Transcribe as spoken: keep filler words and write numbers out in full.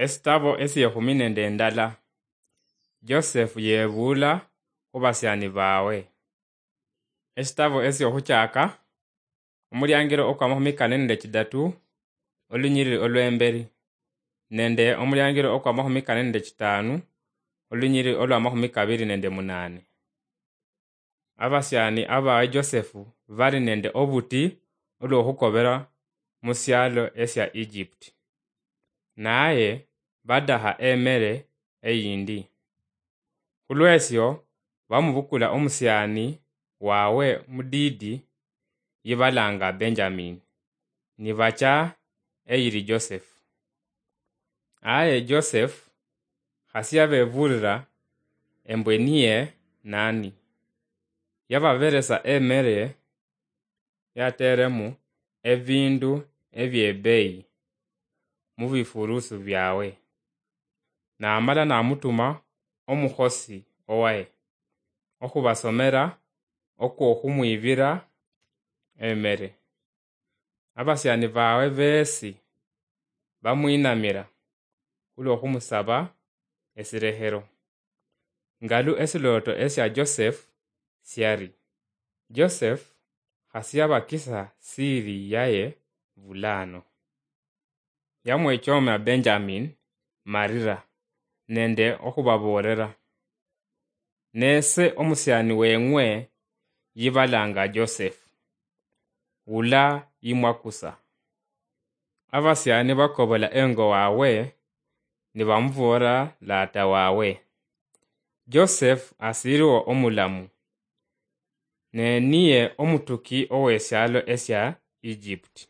Esitabo esiekhumi nende endala. Joseph yebuula khubasiani baawe. Esitabo esiohuchaaka, omuliangiro okwamahumi kane nende chidatu, olunyiriri olwemberi, nende omuliangiro okwamahumi kane nende chitaanu, olunyiriri olwamahumi kabiri nende munaane. Abasiani abawe Joseph bali nende obuti olwokhukobera musialo esia Egypt. Naye badaha emere eyindi. Khulwesio bamubukula omusiani wawe mudiidi yibalanga Benjamin, nibacha eyiri Joseph. Aye Joseph khasi yabebuulira embwe niye nani. Yababeresa emere yateremu ebindu ebiebeyi mubifurusu biawe. Namala namutuma omukhosi owaye okhubasomera okwokhumwibira emere. Abasiani bawe besi bamwinamira khulwokhumusaba esirekhero. Ngalu esilooto esia Joseph siari, Joseph khasi yabakisa siri yaye bulano. Yamwechomera Benjamin marira nende okhubaboolera, "Nese omusiani weng'we yibalanga Joseph, wula yimwakusa." Abasiani bakobola engo wawe, nibamuboolera laata wawe, "Joseph asiriwo omulamu, ne niye omutuki owesialo esia Egypt."